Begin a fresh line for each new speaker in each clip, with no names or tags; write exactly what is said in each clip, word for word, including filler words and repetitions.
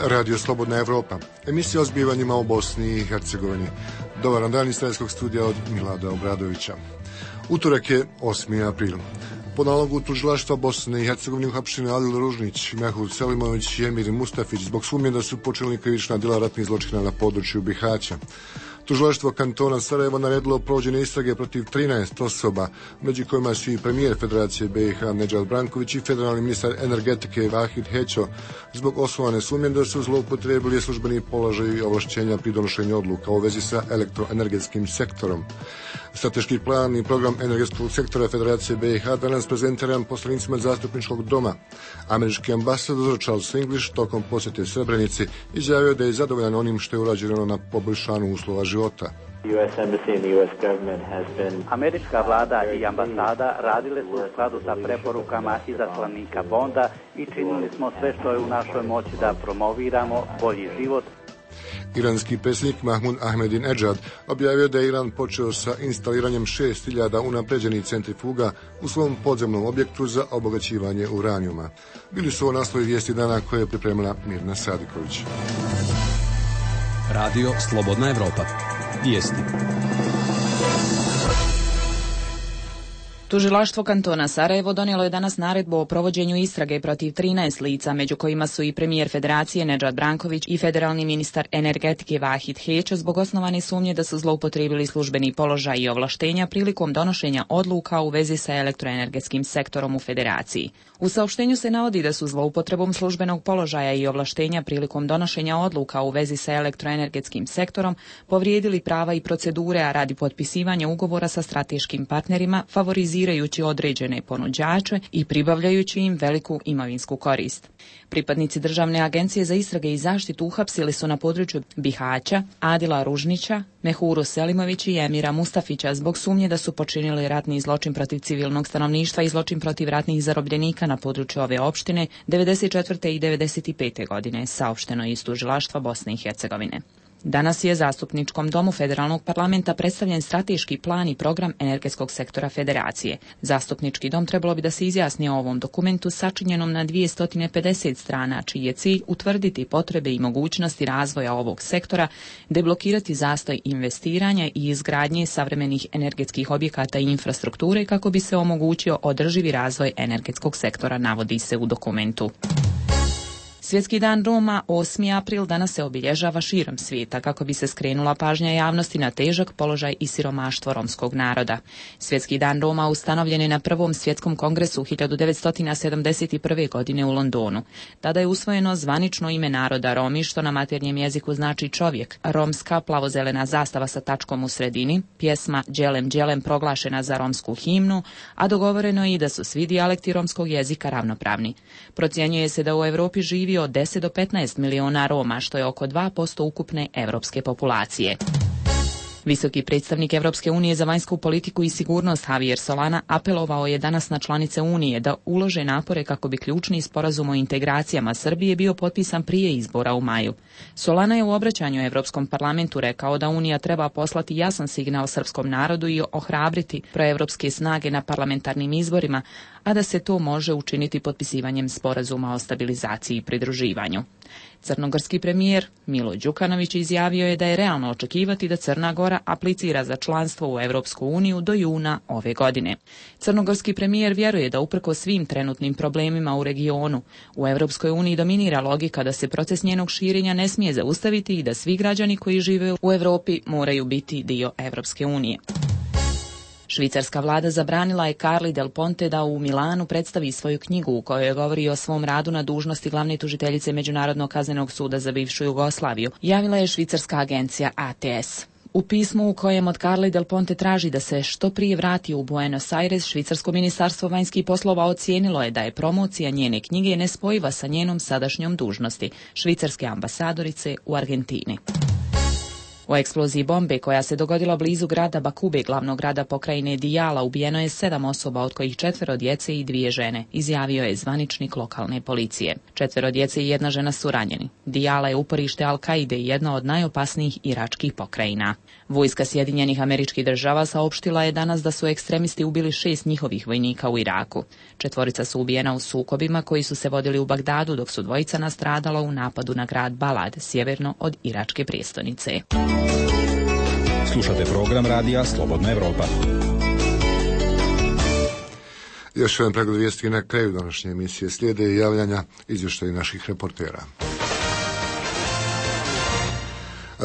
Radio Slobodna Evropa, emisija o zbivanjima u Bosni i Hercegovini. Dobar dan iz Sredskog studija od Milada Obradovića. Utorak je osmi april. Po nalogu tužilaštva Bosne i Hercegovine uhapšeni Adil Ružnić, Mehud Selimović i Emir Mustafić zbog sumnje da su počinili krivična djela ratnih zločina na području Bihaća. Tužilaštvo kantona Sarajevo naredilo provođenje istrage protiv trinaest osoba, među kojima su i premijer Federacije B i H Nedžad Branković i federalni ministar energetike Vahid Hećo, zbog osnovane sumnje da su zloupotrijebili službeni položaj i ovlašćenja pri donošenju odluka u vezi sa elektroenergetskim sektorom. Strateški plan i program energetskog sektora Federacije B i H danas prezentiran poslanicima zastupničkog doma. Američki ambasador Charles English tokom posjete Srebrenici izjavio da je zadovoljan onim što je urađeno na poboljšanju uslova života.
Američka vlada i ambasada radile su u skladu sa preporukama izaslanika Bonda i činili smo sve što je u našoj moći da promoviramo bolji život.
Iranski predsjednik Mahmud Ahmadinejad objavio da je Iran počeo sa instaliranjem šest hiljada unapređenih centrifuga u svom podzemnom objektu za obogaćivanje uranijuma. Bili su ovo naslovi vijesti dana koje je pripremila Mirna Sadiković.
Radio Slobodna Evropa. Vijesti.
Tužilaštvo kantona Sarajevo donijelo je danas naredbu o provođenju istrage protiv trinaest lica, među kojima su i premijer Federacije Nedžad Branković i federalni ministar energetike Vahid Hećo zbog osnovane sumnje da su zloupotrijebili službeni položaj i ovlaštenja prilikom donošenja odluka u vezi sa elektroenergetskim sektorom u Federaciji. U saopštenju se navodi da su zloupotrebom službenog položaja i ovlaštenja prilikom donošenja odluka u vezi sa elektroenergetskim sektorom povrijedili prava i procedure, a radi potpisivanja ugovora sa strateškim partnerima favorizirajući određene ponuđače i pribavljajući im veliku imovinsku korist. Pripadnici Državne agencije za istrage i zaštitu uhapsili su na području Bihaća Adila Ružnića, Mehuru Selimović i Emira Mustafića zbog sumnje da su počinili ratni zločin protiv civilnog stanovništva i zločin protiv ratnih zarobljenika na području ove opštine devedeset četvrte i devedeset pete godine, saopšteno iz tužilaštva Bosne i Hercegovine. Danas je zastupničkom domu Federalnog parlamenta predstavljen strateški plan i program energetskog sektora Federacije. Zastupnički dom trebalo bi da se izjasni o ovom dokumentu sačinjenom na dvjesto pedeset strana, čiji je cilj utvrditi potrebe i mogućnosti razvoja ovog sektora, deblokirati zastoj investiranja i izgradnje savremenih energetskih objekata i infrastrukture kako bi se omogućio održivi razvoj energetskog sektora, navodi se u dokumentu. Svjetski dan Roma, osmi april, danas se obilježava širom svijeta kako bi se skrenula pažnja javnosti na težak položaj i siromaštvo romskog naroda. Svjetski dan Roma ustanovljen je na prvom svjetskom kongresu hiljadu devetsto sedamdeset prve. godine u Londonu. Tada je usvojeno zvanično ime naroda Romi, što na maternjem jeziku znači čovjek, romska plavozelena zastava sa tačkom u sredini, pjesma Đelem Đelem proglašena za romsku himnu, a dogovoreno je i da su svi dijalekti romskog jezika ravnopravni. Procjenjuje se da u Europi živi od deset do petnaest miliona Roma, što je oko dva posto ukupne evropske populacije. Visoki predstavnik Evropske unije za vanjsku politiku i sigurnost Javier Solana apelovao je danas na članice Unije da ulože napore kako bi ključni sporazum o integracijama Srbije bio potpisan prije izbora u maju. Solana je u obraćanju Evropskom parlamentu rekao da Unija treba poslati jasan signal srpskom narodu i ohrabriti proevropske snage na parlamentarnim izborima, a da se to može učiniti potpisivanjem sporazuma o stabilizaciji i pridruživanju. Crnogorski premijer Milo Đukanović izjavio je da je realno očekivati da Crna Gora aplicira za članstvo u Evropsku uniju do juna ove godine. Crnogorski premijer vjeruje da uprkos svim trenutnim problemima u regionu, u Evropskoj uniji dominira logika da se proces njenog širenja ne smije zaustaviti i da svi građani koji žive u Europi moraju biti dio Evropske unije. Švicarska vlada zabranila je Carli Del Ponte da u Milanu predstavi svoju knjigu u kojoj govori o svom radu na dužnosti glavne tužiteljice Međunarodnog kaznenog suda za bivšu Jugoslaviju, javila je švicarska agencija A T S. U pismu u kojem od Carli Del Ponte traži da se što prije vrati u Buenos Aires, švicarsko ministarstvo vanjskih poslova ocijenilo je da je promocija njene knjige nespojiva sa njenom sadašnjom dužnosti, švicarske ambasadorice u Argentini. U eksploziji bombe koja se dogodila blizu grada Bakube, glavnog grada pokrajine Dijala, ubijeno je sedam osoba, od kojih četvero djece i dvije žene, izjavio je zvaničnik lokalne policije. Četvero djece i jedna žena su ranjeni. Dijala je uporište Al-Kaide i jedna od najopasnijih iračkih pokrajina. Vojska Sjedinjenih Američkih Država saopštila je danas da su ekstremisti ubili šest njihovih vojnika u Iraku. Četvorica su ubijena u sukobima koji su se vodili u Bagdadu, dok su dvojica nastradala u napadu na grad Balad, sjeverno od iračke prijestolnice.
Slušate program radija Slobodna Evropa.
Još jedan pregled vijesti na kraju današnje emisije. Slijede javljanja izvještaja naših reportera.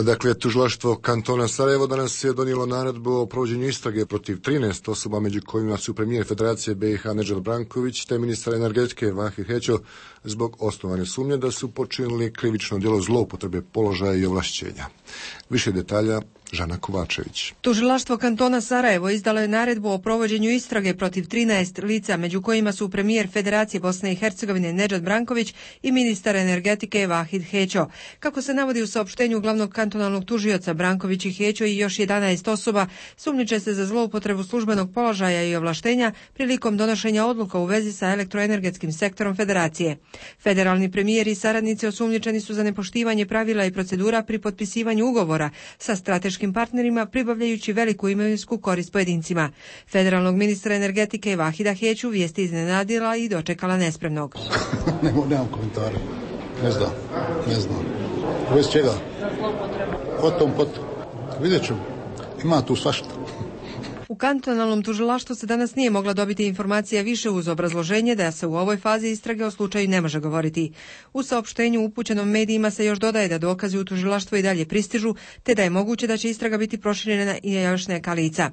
Dakle, tužilaštvo kantona Sarajevo danas je donijelo naredbu o provođenju istrage protiv trinaest osoba, među kojima su premijer Federacije B i H Nedžad Branković te ministar energetike Vahid Hećo, zbog osnovane sumnje da su počinili krivično djelo zloupotrebe položaja i ovlašćenja. Više detalja Žana Kovačević.
Tužilaštvo kantona Sarajevo izdalo je naredbu o provođenju istrage protiv trinaest lica, među kojima su premijer Federacije Bosne i Hercegovine Nedžad Branković i ministar energetike Vahid Hećo. Kako se navodi u saopštenju glavnog kantonalnog tužioca, Branković i Hećo i još jedanaest osoba sumnjiče se za zloupotrebu službenog položaja i ovlaštenja prilikom donošenja odluka u vezi sa elektroenergetskim sektorom Federacije. Federalni premijer i saradnici osumnjičeni su za nepoštivanje pravila i procedura pri potpisivanju ugovora sa strateškim partnerima, pribavljajući veliku imovinsku korist pojedincima. Federalnog ministra energetike Vahida Heću vijesti iznenadila i dočekala nespremnog.
Nemo, nemam komentara. Ne znam, ne znam. Bez čega? Potom, potom. Vidjet ću. Ima tu svašta.
U kantonalnom tužilaštvu se danas nije mogla dobiti informacija više uz obrazloženje da se u ovoj fazi istrage o slučaju ne može govoriti. U saopštenju upućenom medijima se još dodaje da dokazi u tužilaštvu i dalje pristižu, te da je moguće da će istraga biti proširena i još neka lica.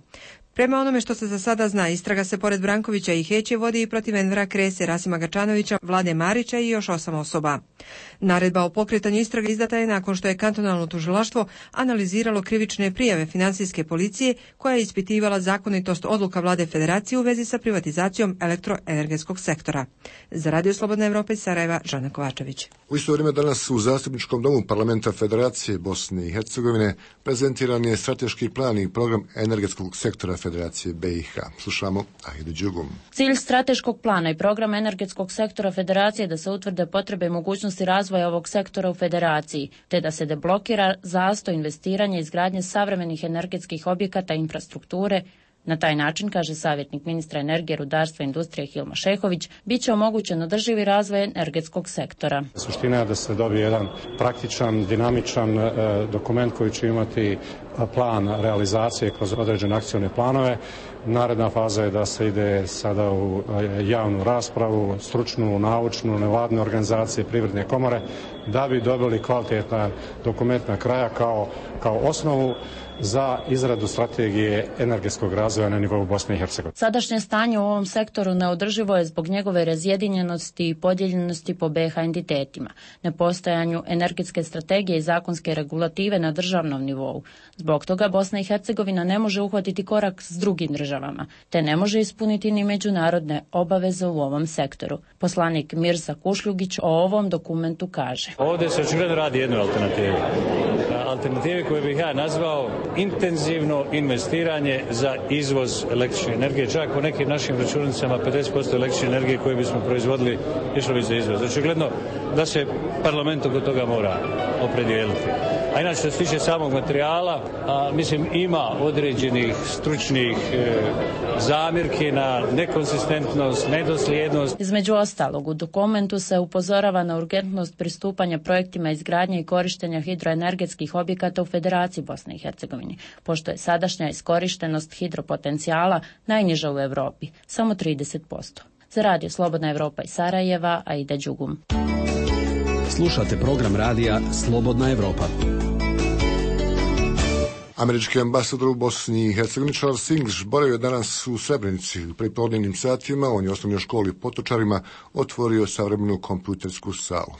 Prema onome što se za sada zna, istraga se pored Brankovića i Heće vodi i protiv Envera Krese, Rasima Gačanovića, Vlade Marića i još osam osoba. Naredba o pokretanju istrage izdata je nakon što je kantonalno tužilaštvo analiziralo krivične prijave financijske policije koja je ispitivala zakonitost odluka Vlade Federacije u vezi sa privatizacijom elektroenergetskog sektora. Za Radio Slobodna Evropa iz Sarajeva, Žana Kovačević.
U isto vrijeme danas u Zastupničkom domu Parlamenta Federacije Bosne i Hercegovine prezentiran je strateški plan i program energetskog sektora Federacije B i H. Slušamo Ahidu Đugum.
Cilj strateškog plana i programa energetskog sektora Federacije je da se utvrde potrebe i mogućnosti razvoja ovog sektora u Federaciji, te da se deblokira zastoj investiranja i izgradnje savremenih energetskih objekata i infrastrukture. Na taj način, kaže savjetnik ministra energije, rudarstva i industrije Hilma Šehović, bit će omogućen održivi razvoj energetskog sektora.
Suština je da se dobije jedan praktičan, dinamičan e, dokument koji će imati plan realizacije kroz određene akcione planove. Naredna faza je da se ide sada u javnu raspravu, stručnu, naučnu, nevladine organizacije, privredne komore, da bi dobili kvalitetan dokument na kraja kao, kao osnovu za izradu strategije energetskog razvoja na nivou Bosne i Hercegovine.
Sadašnje stanje u ovom sektoru neodrživo je zbog njegove razjedinjenosti i podijeljenosti po B i H entitetima, nepostojanju energetske strategije i zakonske regulative na državnom nivou. Zbog toga Bosna i Hercegovina ne može uhvatiti korak s drugim državama, te ne može ispuniti ni međunarodne obaveze u ovom sektoru. Poslanik Mirza Kušljugić o ovom dokumentu kaže:
Ovdje se očigledno radi jednu alternativu. Alternativi koje bih ja nazvao intenzivno investiranje za izvoz električne energije. Čak po nekim našim računicama pedeset posto električne energije koje bismo proizvodili išlo bi za izvoz. Očigledno da se parlament oko toga mora opredijeliti. A inače, što se tiče samog materijala, a, mislim, ima određenih stručnih e, zamjerki na nekonsistentnost, nedosljednost.
Između ostalog, u dokumentu se upozorava na urgentnost pristupanja projektima izgradnje i korištenja hidroenergetskih objekata u Federaciji Bosne i Hercegovine, pošto je sadašnja iskorištenost hidropotencijala najniža u Europi, samo trideset posto. Za Radio Slobodna Evropa iz Sarajeva, Aida Đugum.
Slušate program radija Slobodna Evropa.
Američki ambasador u Bosni i Hercegovini Charles English boravio je danas u Srebrenici. U prepodnevnim satima on je u osnovnoj školi Potočarima otvorio savremenu kompjutersku salu.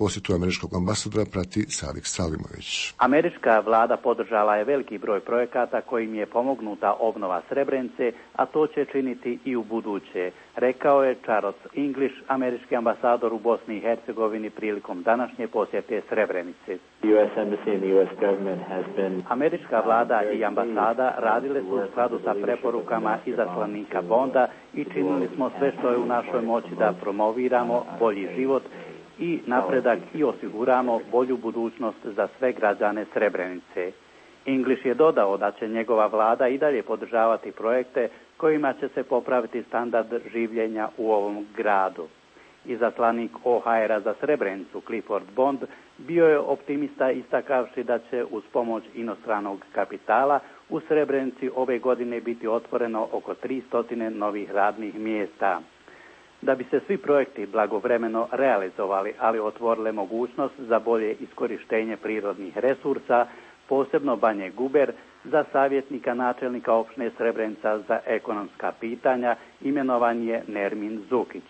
Posjetu američkog ambasadora prati Sadik Salimović.
Američka vlada podržala je veliki broj projekata kojim je pomognuta obnova Srebrenice, a to će činiti i u buduće, rekao je Charles English, američki ambasador u Bosni i Hercegovini prilikom današnje posjete Srebrenice. Američka vlada i ambasada radile su u skladu sa preporukama izaslanika Bonda i činili smo sve što je u našoj moći da promoviramo bolji život i napredak i osiguramo bolju budućnost za sve građane Srebrenice. English je dodao da će njegova vlada i dalje podržavati projekte kojima će se popraviti standard življenja u ovom gradu. Izaslanik O H R-a za Srebrenicu Clifford Bond bio je optimista istakavši da će uz pomoć inostranog kapitala u Srebrenici ove godine biti otvoreno oko tristo novih radnih mjesta. Da bi se svi projekti blagovremeno realizovali, ali otvorile mogućnost za bolje iskorištenje prirodnih resursa, posebno Banje Guber, za savjetnika načelnika opštine Srebrenica za ekonomska pitanja imenovan je Nermin Zukić.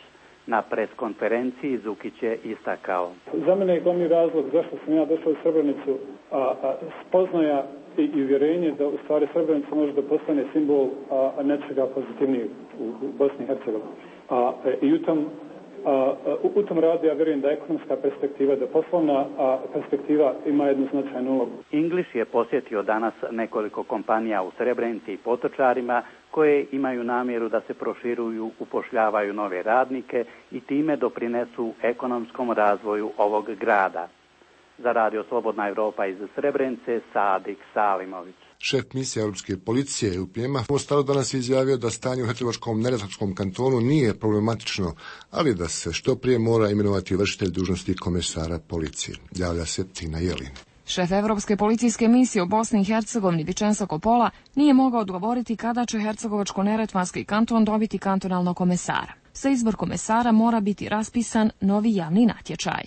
Na preskonferenciji Zukić je istakao:
Za mene je glavni razlog zašto sam ja došao u Srebrenicu a, a, spoznaja i, i uvjerenje da u stvari Srebrenica može da postane simbol a, a nečega pozitivnijeg u, u Bosni i Hercegovini. A, i u tom, a, u, u tom radu ja vjerujem da ekonomska perspektiva, da poslovna a, perspektiva ima jednu značajnu ulogu.
English je posjetio danas nekoliko kompanija u Srebrenici i Potočarima koje imaju namjeru da se proširuju, upošljavaju nove radnike i time doprinesu ekonomskom razvoju ovog grada. Za Radio Slobodna Evropa iz Srebrenice, Sadik Salimović.
Šef misije Europske policije U P M-a u Mostaru danas je izjavio da stanje u Hercegovačkom neretvanskom kantonu nije problematično, ali da se što prije mora imenovati vršitelj dužnosti komesara policije. Javlja se Tina Jelin.
Šef Evropske policijske misije u Bosni i Hercegovini Vicenzo Coppola nije mogao odgovoriti kada će Hercegovačko-neretvanski kanton dobiti kantonalnog komesara. Za izbor komesara mora biti raspisan novi javni natječaj.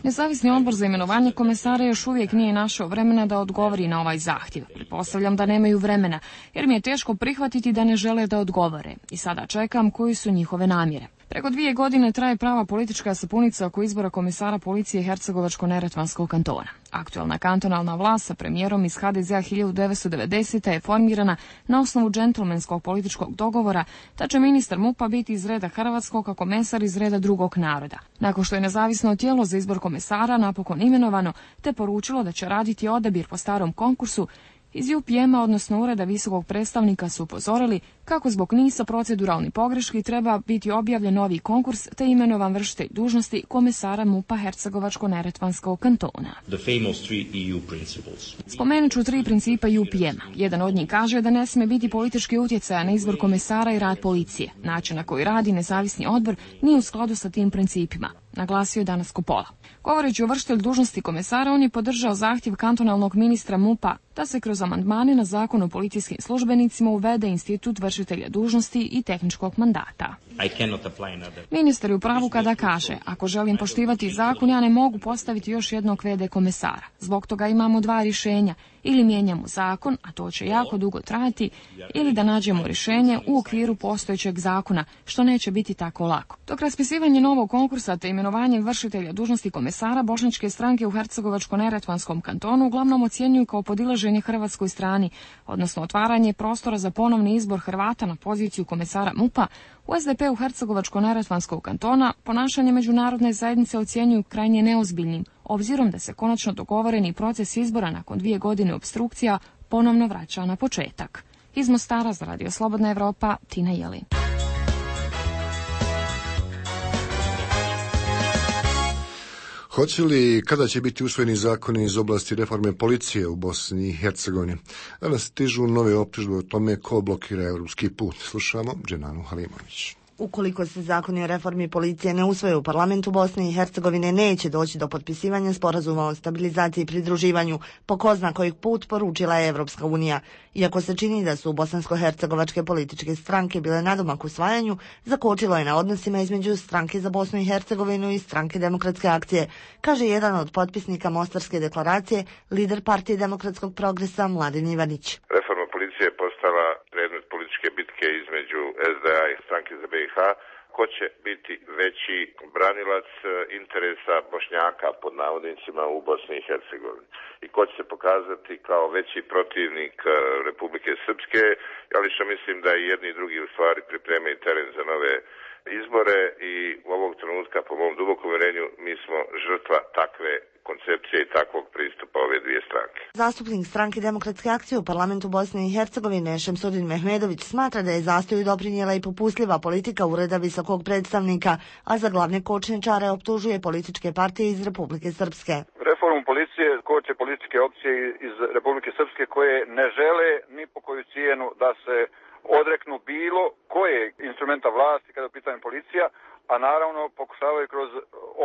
Nezavisni odbor za imenovanje komesara još uvijek nije našao vremena da odgovori na ovaj zahtjev. Pretpostavljam da nemaju vremena, jer mi je teško prihvatiti da ne žele da odgovore. I sada čekam koji su njihove namjere. Preko dvije godine traje prava politička sapunica oko izbora komesara policije Hercegovačko-neretvanskog kantona. Aktualna kantonalna vlast sa premijerom iz H D Z-a hiljadu devetsto devedesete. je formirana na osnovu džentlmenskog političkog dogovora da će ministar M U P-a biti iz reda hrvatskog, a komesar iz reda drugog naroda. Nakon što je nezavisno tijelo za izbor komesara napokon imenovano, te poručilo da će raditi odabir po starom konkursu, iz U P M-a, odnosno Ureda visokog predstavnika, su upozorili kako zbog niza proceduralnih pogreški treba biti objavljen novi konkurs te imenovan vršitelj dužnosti komesara M U P-a Hercegovačko-neretvanskog kantona. Spomenut ću tri principa U P M-a. Jedan od njih kaže da ne smije biti politički utjecaja na izbor komesara i rad policije. Način na koji radi nezavisni odbor nije u skladu sa tim principima, naglasio je danas Coppola. Govoreći o vršitelju dužnosti komesara, on je podržao zahtjev kantonalnog ministra M U P-a da se kroz amandmane na zakon o policijskim službenicima uvede institut vršitelja dužnosti i tehničkog mandata. Ministar je u pravu kada kaže: ako želim poštivati zakon, ja ne mogu postaviti još jednog V D komesara. Zbog toga imamo dva rješenja: ili mijenjamo zakon, a to će jako dugo trajati, ili da nađemo rješenje u okviru postojećeg zakona, što neće biti tako lako. Dok raspisivanje novog konkursa te imenovanje vršitelja dužnosti komesara bošnjačke stranke u Hercegovačko-neretvanskom kantonu uglavnom ocjenjuju kao podilaženje hrvatskoj strani, odnosno otvaranje prostora za ponovni izbor Hrvata na poziciju komesara M U P-a, u S D P-u Hercegovačko-neretvanskog kantona ponašanje međunarodne zajednice ocjenjuju krajnje neozbiljnim, obzirom da se konačno dogovoreni proces izbora nakon dvije godine opstrukcija ponovno vraća na početak. Iz Mostara za Radio Slobodna Evropa, Tina Jelin.
Hoće li kada će biti usvojeni zakoni iz oblasti reforme policije u Bosni i Hercegovini? Danas stižu nove optužbe o tome ko blokira europski put. Slušamo Dženanu Halimović.
Ukoliko se zakoni o reformi policije ne usvoje u parlamentu Bosne i Hercegovine, neće doći do potpisivanja sporazuma o stabilizaciji i pridruživanju, po ko zna kojih put, poručila je Evropska unija. Iako se čini da su bosansko-hercegovačke političke stranke bile nadomak usvajanju, zakočilo je na odnosima između stranke za Bosnu i Hercegovinu i stranke Demokratske akcije, kaže jedan od potpisnika Mostarske deklaracije, lider partije Demokratskog progresa Mladen Ivanić.
Reforma policije je postala predmet političke političke bitke između es de a i Stranke za be i ha, ko će biti veći branilac interesa Bošnjaka pod navodnicima u Bosni i Hercegovini i ko će se pokazati kao veći protivnik Republike Srpske, ali što mislim da i jedni i drugi u stvari pripremaju teren za nove izbore i u ovog trenutka, po mom dubokom uvjerenju, mi smo žrtva takve koncepcije i takvog pristupa ove dvije stranke.
Zastupnik Stranke demokratske akcije u parlamentu Bosne i Hercegovine Šemsudin Mehmedović smatra da je zastoju doprinijela i popustljiva politika Ureda visokog predstavnika, a za glavne kočničare optužuje političke partije iz Republike Srpske.
Reformu policije koče političke opcije iz Republike Srpske koje ne žele ni po koju cijenu da se odreknu bilo koje instrumenta vlasti kada je u pitanju policija, a naravno pokušavaju kroz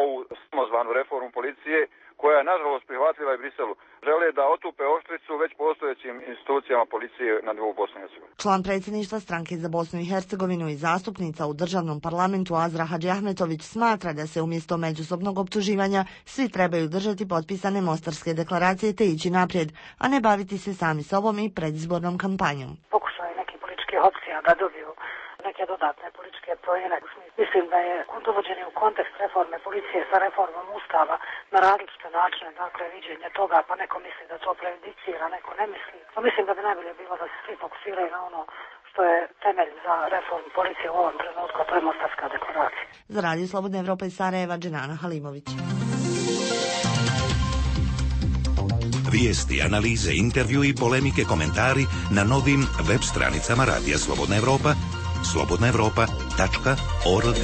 ovu samozvanu reformu policije, koja je nažalost prihvatljiva i Briselu, žele da otupe oštricu već postojećim institucijama policije na nivou Bosne i Hercegovine.
Član predsjedništva Stranke za Bosnu i Hercegovinu i zastupnica u državnom parlamentu Azra Hadžiahmetović smatra da se umjesto međusobnog optuživanja svi trebaju držati potpisane Mostarske deklaracije te ići naprijed, a ne baviti se sami sobom i predizbornom kampanjom.
Pokušaju neki politički opcija da dobiju neke dodatne političke poene. Mislim da je dovođenje u kontekst reforme policije sa reformom Ustava na različite načine, dakle, viđenje toga, pa neko misli da to prejudicira, neko ne misli. Pa mislim da bi najbolje bilo da se svi fokusiraju na ono što je temelj za reformu policije u ovom trenutku, to je Mostarska deklaracija.
Za Radio Slobodna Evropa iz Sarajeva, Dženana Halimović.
Vijesti, analize, intervju i polemike, komentari na novim web stranicama Radija Slobodna Evropa, slobodna evropa tačka org.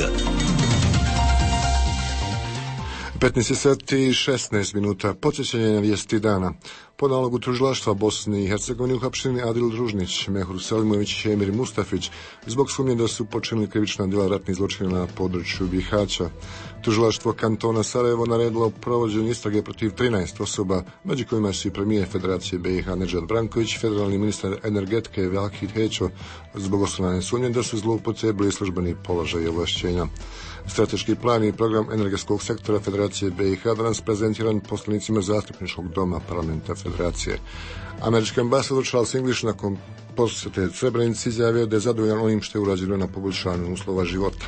petnaest sati i šesnaest minuta. Podsjećanje na vijesti dana. Po nalogu tužilaštva Bosne i Hercegovine uhapšeni Adil Družnić, Mehur Selimović i Emir Mustafić zbog sumnje da su počinili krivična djela ratnih zločina na području Bihaća. Tužilaštvo kantona Sarajevo naredilo provođenje istrage protiv trinaest osoba, među kojima su i premijer Federacije be i ha Nedžad Branković, federalni ministar energetike Vahid Hećo, zbog osnovane sumnje da su zloupotrijebili službeni položaj i ovlašćenja. Strateški plan i program energetskog sektora Federacije be i ha danas prezentiran poslanicima zastupničkog doma parlamenta Federacije. Američki ambasador Charles English nakon posjete Srebrenici izjavio da je zadovoljan onim što je urađeno na poboljšanju uslova života.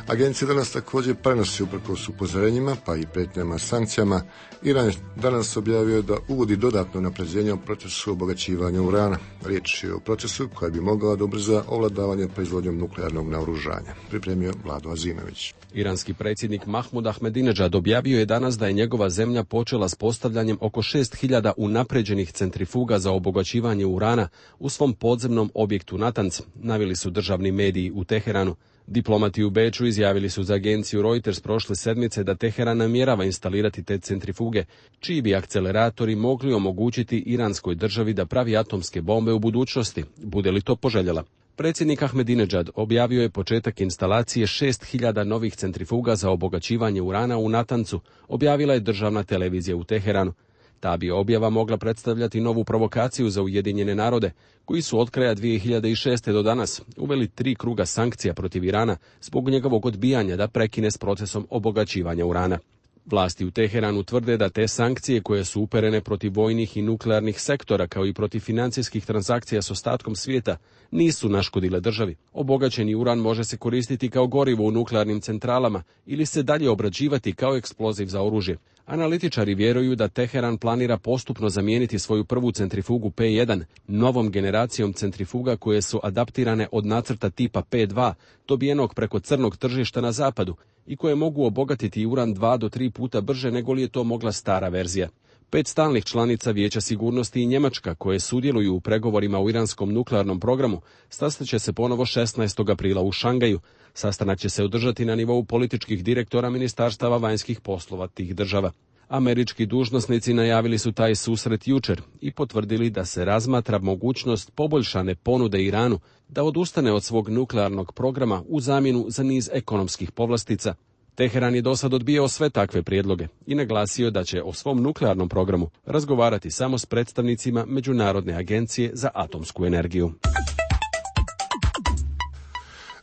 Agencija danas također prenosi uprkos upozorenjima, pa i prijetnjama sankcijama. Iran je danas objavio da uvodi dodatno napređenje u procesu obogaćivanja urana. Riječ je o procesu koja bi mogla da ubrza ovladavanje proizvodnjom nuklearnog naoružanja. Pripremio Vlado Azimović.
Iranski predsjednik Mahmud Ahmadinejad objavio je danas da je njegova zemlja počela s postavljanjem oko šest hiljada unapređenih centrifuga za obogaćivanje urana u svom podzemnom objektu Natanz, naveli su državni mediji u Teheranu. Diplomati u Beču izjavili su za agenciju Reuters prošle sedmice da Teheran namjerava instalirati te centrifuge, čiji bi akceleratori mogli omogućiti iranskoj državi da pravi atomske bombe u budućnosti, bude li to poželjela. Predsjednik Ahmadinejad objavio je početak instalacije šest hiljada novih centrifuga za obogaćivanje urana u Natancu, objavila je državna televizija u Teheranu. Ta bi objava mogla predstavljati novu provokaciju za Ujedinjene narode, koji su od kraja dvije hiljade šeste. do danas uveli tri kruga sankcija protiv Irana zbog njegovog odbijanja da prekine s procesom obogaćivanja urana. Vlasti u Teheranu tvrde da te sankcije koje su uperene protiv vojnih i nuklearnih sektora kao i protiv financijskih transakcija s ostatkom svijeta nisu naškodile državi. Obogaćeni uran može se koristiti kao gorivo u nuklearnim centralama ili se dalje obrađivati kao eksploziv za oružje. Analitičari vjeruju da Teheran planira postupno zamijeniti svoju prvu centrifugu P jedan novom generacijom centrifuga koje su adaptirane od nacrta tipa P dva, dobijenog preko crnog tržišta na zapadu i koje mogu obogatiti uran dva do tri puta brže nego li je to mogla stara verzija. Pet stalnih članica Vijeća sigurnosti i Njemačka, koje sudjeluju u pregovorima u iranskom nuklearnom programu, sastaće se ponovo šesnaestog aprila u Šangaju. Sastanak će se održati na nivou političkih direktora ministarstava vanjskih poslova tih država. Američki dužnosnici najavili su taj susret jučer i potvrdili da se razmatra mogućnost poboljšane ponude Iranu da odustane od svog nuklearnog programa u zamjenu za niz ekonomskih povlastica. Teheran je dosad odbijao sve takve prijedloge i naglasio da će o svom nuklearnom programu razgovarati samo s predstavnicima Međunarodne agencije za atomsku energiju.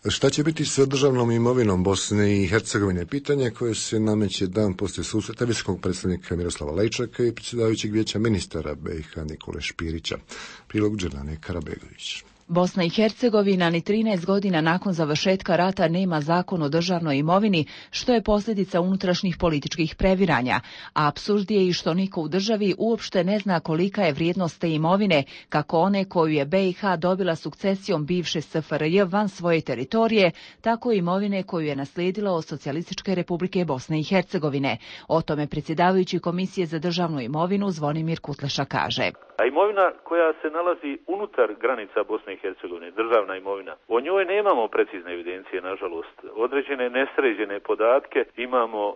Šta će biti sa državnom imovinom Bosne i Hercegovine? Pitanje koje se nameće dan poslije susreta visokog predstavnika Miroslava Lajčaka i predsjedavajućeg vijeća ministara be i ha Nikole Špirića. Prilog Đerlane Karabegović.
Bosna i Hercegovina ni trinaest godina nakon završetka rata nema zakon o državnoj imovini, što je posljedica unutrašnjih političkih previranja, a apsurd je i što niko u državi uopšte ne zna kolika je vrijednost te imovine, kako one koju je B i H dobila sukcesijom bivše S F R J van svoje teritorije, tako i imovine koju je naslijedila od Socijalističke republike Bosne i Hercegovine. O tome predsjedavajući Komisije za državnu imovinu Zvonimir Kutleša kaže.
A imovina koja se nalazi unutar granica Bosne i Hercegovine, državna imovina, o njoj nemamo precizne evidencije, nažalost. Određene nesređene podatke imamo e,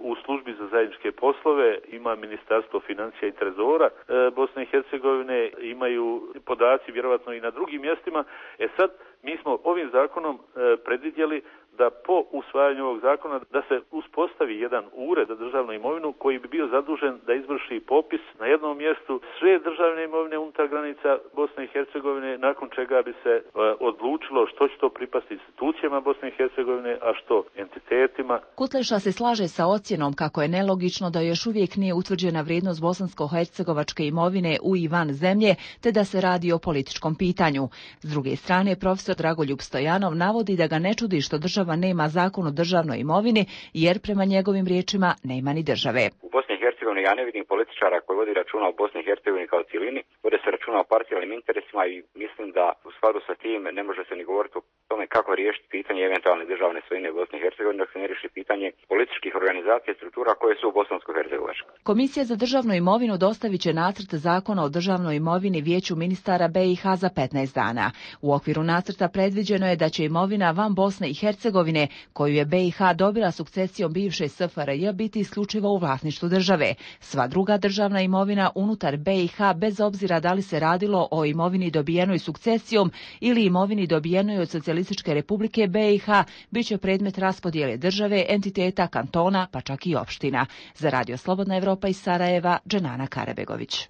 u službi za zajedničke poslove, ima Ministarstvo financija i trezora e, Bosne i Hercegovine, imaju podaci vjerovatno i na drugim mjestima. E sad, mi smo ovim zakonom e, predvidjeli da po usvajanju ovog zakona da se uspostavi jedan ured za državnu imovinu koji bi bio zadužen da izvrši popis na jednom mjestu sve državne imovine unutar granica Bosne i Hercegovine, nakon čega bi se e, odlučilo što će to pripasti institucijama Bosne i Hercegovine, a što entitetima.
Kutleša se slaže sa ocjenom kako je nelogično da još uvijek nije utvrđena vrijednost bosansko-hercegovačke imovine u i van zemlje, te da se radi o političkom pitanju. S druge strane, profesor Dragoljub Stojanov navodi da ga ne čudi što država nema zakon o državnoj imovini, jer prema njegovim riječima nema ni države.
U Bosni i Hercegovini ja ne vidim političara koji vodi računa o Bosni i Hercegovini kao cijelini, vode se računa o parcijalnim interesima i mislim da u skladu sa tim ne može se ni govoriti o tome kako riješiti pitanje eventualne državne svojine u Bosni i Hercegovini dok se ne riješi pitanje političkih organizacija i struktura koje su u bosansko-hercegovačkoj.
Komisija za državnu imovinu dostavit će nacrt zakona o državnoj imovini Vijeću ministara B i H za petnaest dana. U okviru nacrta predviđeno je da će imovina van Bosne i Hercegovine, koju je B i H dobila sukcesijom bivše S F R J, biti isključivo u vlasništvu države. Sva druga državna imovina unutar B i H, bez obzira da li se radilo o imovini dobijenoj sukcesijom ili imovini dobijenoj od Socijalističke republike B i H, bit će predmet raspodjele države, entiteta, kantona, pa čak i opština. Za Radio Slobodna Evropa iz Sarajeva, Dženana Karebegović.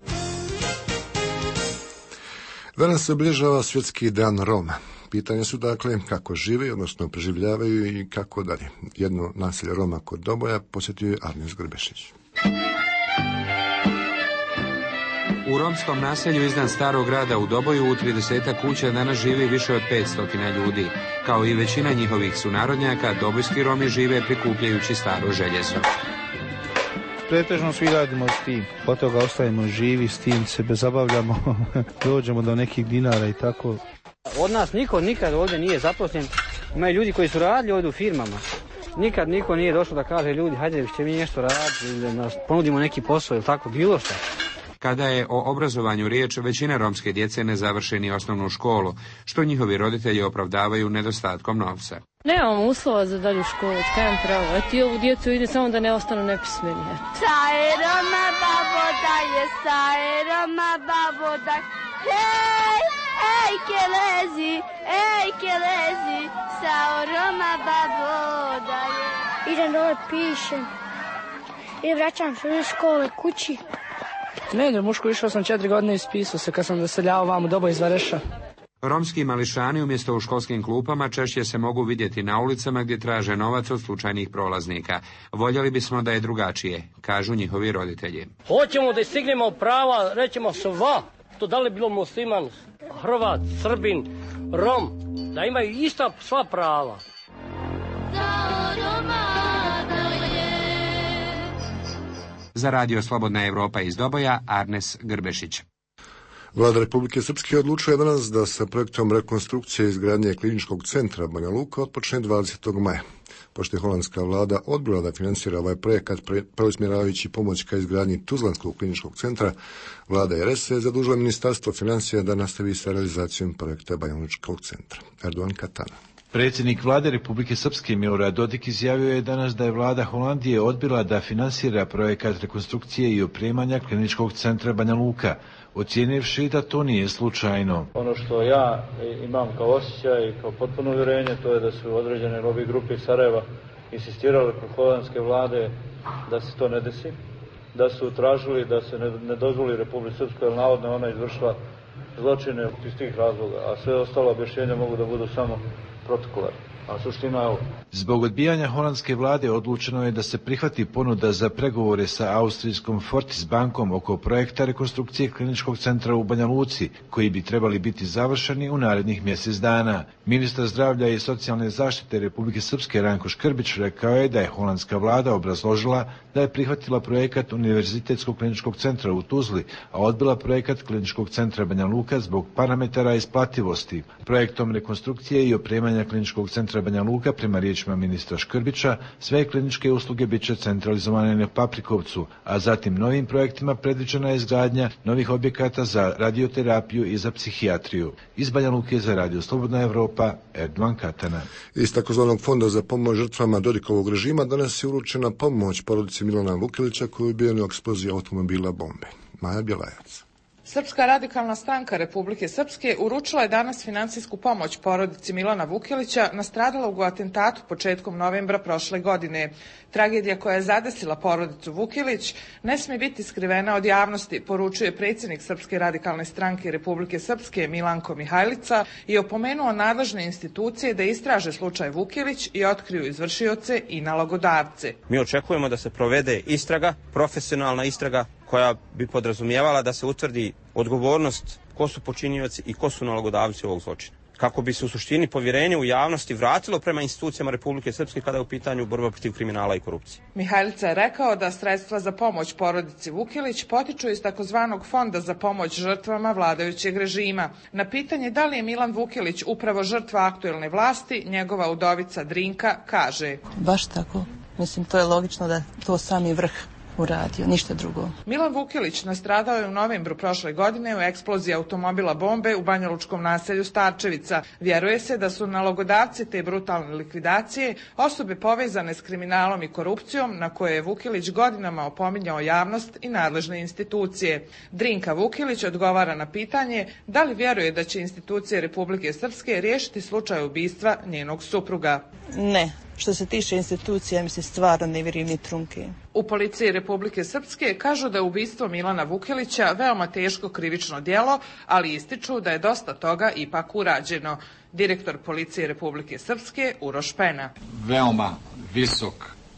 Danas se obilježava Svjetski dan Roma. Pitanja su dakle kako žive, odnosno preživljavaju i kako dalje. Jedno naselje Roma kod Doboja posjetio je Arnes Grbešić.
U romskom naselju iznad starog grada u Doboju u tridesetak kuća danas živi više od petsto ljudi. Kao i većina njihovih sunarodnjaka, dobojski Romi žive prikupljajući staro željezo.
Pretežno svi radimo s tim, od toga ostajemo živi, s tim se bezabavljamo, dođemo do nekih dinara i tako.
Od nas niko nikad ovdje nije zaposlen, imaju ljudi koji su radili ovdje u firmama. Nikad niko nije došao da kaže ljudi, hajde će mi nešto raditi ili da ponudimo neki posao ili tako, bilo što.
Kada je o obrazovanju riječ, većina romske djece ne završi ni osnovnu školu, što njihovi roditelji opravdavaju nedostatkom novca.
Nemamo uslova za dalju školu, kajem pravo. Eto i ovu djecu ide samo da ne ostanu nepismeni.
Saje Roma babo daje, saje Roma babo daje, hej, ej kelezi, ej kelezi, sao Roma babo daje.
Idem dole, pišem i vraćam se iz škole kući.
Ne idem u školu, išao sam četiri godine, ispisao se kad sam doseljavao vam u Doboj iz Vareša.
Romski mališani umjesto u školskim klupama češće se mogu vidjeti na ulicama gdje traže novac od slučajnih prolaznika. Voljeli bismo da je drugačije, kažu njihovi roditelji.
Hoćemo da stignemo prava, rećemo sva, to da li bilo musliman, Hrvat, Srbin, Rom, da imaju ista sva prava.
Za Radio Slobodna Evropa iz Doboja, Arnes Grbešić.
Vlada Republike Srpske odlučuje danas da sa projektom rekonstrukcije izgradnje kliničkog centra Banja Luka otpočne dvadesetog maja. Pošto je holandska vlada odbila da finansira ovaj projekat preusmjeravajući pomoć ka izgradnji Tuzlanskog kliničkog centra, vlada R S je zadužila Ministarstvo financija da nastavi sa realizacijom projekta Banja Lučkog centra. Erdogan Katana.
Predsjednik vlade Republike Srpske Milorad Dodik izjavio je danas da je vlada Holandije odbila da finansira projekat rekonstrukcije i opremanja kliničkog centra Banja Luka, ocijenivši da to nije slučajno.
Ono što ja imam kao osjećaj i kao potpuno uvjerenje, to je da su određene lobby grupe iz Sarajeva insistirale kod holandske vlade da se to ne desi, da su tražili da se ne, ne dozvoli Republike Srpskoj, jer navodno ona izvršila zločine iz tih razloga, a sve ostalo objašnjenja mogu da budu samo protokolarni. A suština je ovo.
Zbog odbijanja holandske vlade odlučeno je da se prihvati ponuda za pregovore sa austrijskom Fortis bankom oko projekta rekonstrukcije kliničkog centra u Banja Luci, koji bi trebali biti završeni u narednih mjesec dana. Ministar zdravlja i socijalne zaštite Republike Srpske Ranko Škrbić rekao je da je holandska vlada obrazložila da je prihvatila projekat Univerzitetskog kliničkog centra u Tuzli, a odbila projekat kliničkog centra Banja Luka zbog parametara isplativosti. Projektom rekonstrukcije i opremanja kliničkog centra Banja Luka, prema riječima ministra Škrbića, sve kliničke usluge bit će centralizovane na Paprikovcu, a zatim novim projektima predviđena je izgradnja novih objekata za radioterapiju i za psihijatriju. Iz Banja Luke za Radio Slobodna Evropa, Erdovan Katana.
Iz takozvanog fonda za pomoć žrtvama Dodikovog režima danas je uručena pomoć porodici Milana Vukilića koji je ubijeni u eksploziji automobila bombe. Maja Bjelajac.
Srpska radikalna stranka Republike Srpske uručila je danas financijsku pomoć porodici Milana Vukilića nastradalog u atentatu početkom novembra prošle godine. Tragedija koja je zadesila porodicu Vukilić ne smije biti skrivena od javnosti, poručuje predsjednik Srpske radikalne stranke Republike Srpske Milanko Mihajlica i opomenuo nadležne institucije da istraže slučaj Vukilić i otkriju izvršioce i nalogodavce.
Mi očekujemo da se provede istraga, profesionalna istraga koja bi podrazumijevala da se utvrdi odgovornost ko su počinioci i ko su nalogodavci ovog zločina. Kako bi se u suštini povjerenje u javnosti vratilo prema institucijama Republike Srpske kada je u pitanju borba protiv kriminala i korupcije.
Mihajlica je rekao da sredstva za pomoć porodici Vukilić potiču iz takozvanog fonda za pomoć žrtvama vladajućeg režima. Na pitanje da li je Milan Vukilić upravo žrtva aktuelne vlasti, njegova udovica Drinka kaže:
Baš tako. Mislim, to je logično da to sami vrh uradio, ništa drugo.
Milan Vukilić nastradao je u novembru prošle godine u eksploziji automobila bombe u banjalučkom naselju Starčevica. Vjeruje se da su nalogodavci te brutalne likvidacije osobe povezane s kriminalom i korupcijom na koje je Vukilić godinama opominjao javnost i nadležne institucije. Drinka Vukilić odgovara na pitanje da li vjeruje da će institucije Republike Srpske riješiti slučaj ubistva njenog supruga.
Ne. Što se tiče institucija, mi se stvarno ne vjerujem ni trunke.
U policiji Republike Srpske kažu da je ubistvo Milana Vukilića veoma teško krivično djelo, ali ističu da je dosta toga ipak urađeno. Direktor policije Republike Srpske Uroš Pena.
Veoma visok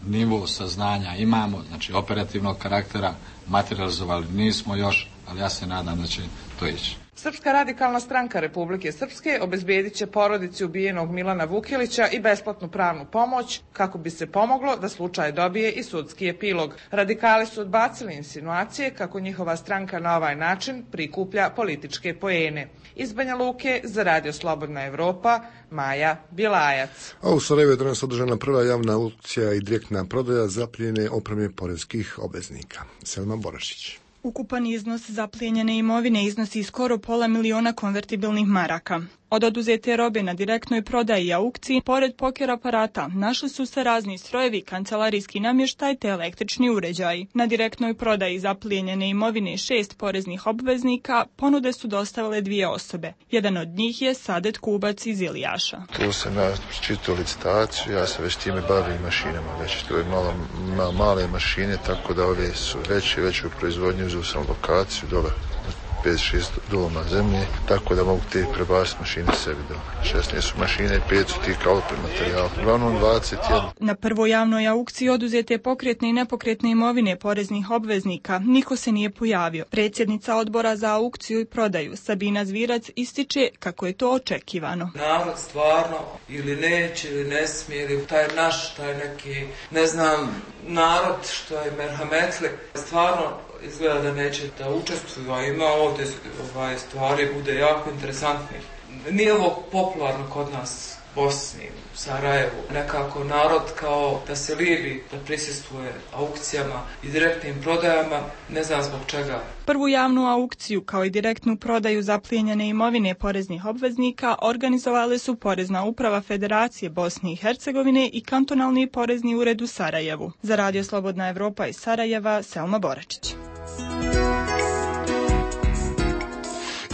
nivo saznanja imamo, znači operativnog karaktera, materializovali nismo još, ali ja se nadam da će to ići.
Srpska radikalna stranka Republike Srpske obezbedit će porodici ubijenog Milana Vukilića i besplatnu pravnu pomoć kako bi se pomoglo da slučaj dobije i sudski epilog. Radikali su odbacili insinuacije kako njihova stranka na ovaj način prikuplja političke poene. Iz Banja Luke za Radio Slobodna Evropa, Maja Bjelajac.
A u Sarajevu je danas održana prva javna aukcija i direktna prodaja zaplijenjene opreme poreskih obveznika. Selma Borašić.
Ukupan iznos zaplijenjene imovine iznosi skoro pola miliona konvertibilnih maraka. Od oduzete robe na direktnoj prodaji i aukciji, pored poker aparata, našli su se razni strojevi, kancelarijski namještaj te električni uređaji. Na direktnoj prodaji zaplijenjene imovine šest poreznih obveznika ponude su dostavile dvije osobe. Jedan od njih je Sadet Kubac iz Ilijaša.
Tu sam ja čitao licitaciju, ja se već time bavim mašinama, već to je malo, ma, male mašine, tako da ove su veće, veću proizvodnju, uzeo sam lokaciju dole pet šest doloma zemlje, tako da mogu te prebaciti mašine sebi do šesnaest su mašine i pet su ti kalopri materijal. Uglavnom dvadeset jedan.
Na prvoj javnoj aukciji oduzete pokretne i nepokretne imovine poreznih obveznika niko se nije pojavio. Predsjednica odbora za aukciju i prodaju Sabina Zvirac ističe kako je to očekivano.
Narod stvarno ili neće ili ne smije ili taj naš, taj neki, ne znam, narod što je merhametli, stvarno izgleda da neće da učestvuju, a ima ovdje ovaj, stvari bude jako interesantnih. Nije ovo popularno kod nas u Bosni, u Sarajevu. Nekako narod kao da se libi da prisustvuje aukcijama i direktnim prodajama, ne znam zbog čega.
Prvu javnu aukciju kao i direktnu prodaju zaplijenjene imovine poreznih obveznika organizovale su Porezna uprava Federacije Bosne i Hercegovine i Kantonalni porezni ured u Sarajevu. Za Radio Slobodna Evropa iz Sarajeva, Selma Boračić.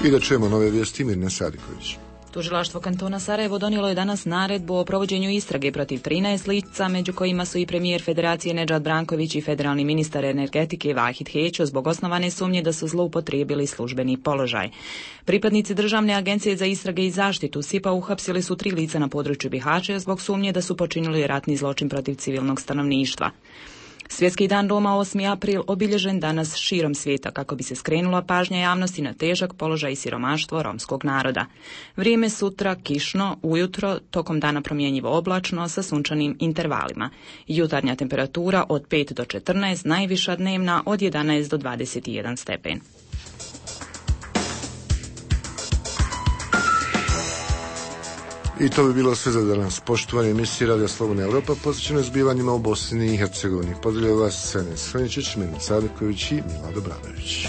I da čujemo nove vijesti, Mirna Sadiković.
Tužilaštvo kantona Sarajevo donijelo je danas naredbu o provođenju istrage protiv trinaest lica, među kojima su i premijer Federacije Nedžad Branković i federalni ministar energetike Vahid Hećo zbog osnovane sumnje da su zloupotrijebili službeni položaj. Pripadnici Državne agencije za istrage i zaštitu S I P-a uhapsili su tri lica na području Bihaća zbog sumnje da su počinili ratni zločin protiv civilnog stanovništva. Svjetski dan Roma osmi april obilježen danas širom svijeta kako bi se skrenula pažnja javnosti na težak položaj i siromaštvo romskog naroda. Vrijeme sutra kišno, ujutro, tokom dana promjenjivo oblačno sa sunčanim intervalima. Jutarnja temperatura od pet do četrnaest, najviša dnevna od jedanaest do dvadeset jedan stepen.
I to bi bilo sve za danas. Poštovani emisiji Radio Slobodna Europa posvećeno zbivanjima u Bosni i Hercegovini. Pozdravljaju vas Senes Hraničić, Mena Cariković i Milado Bradović.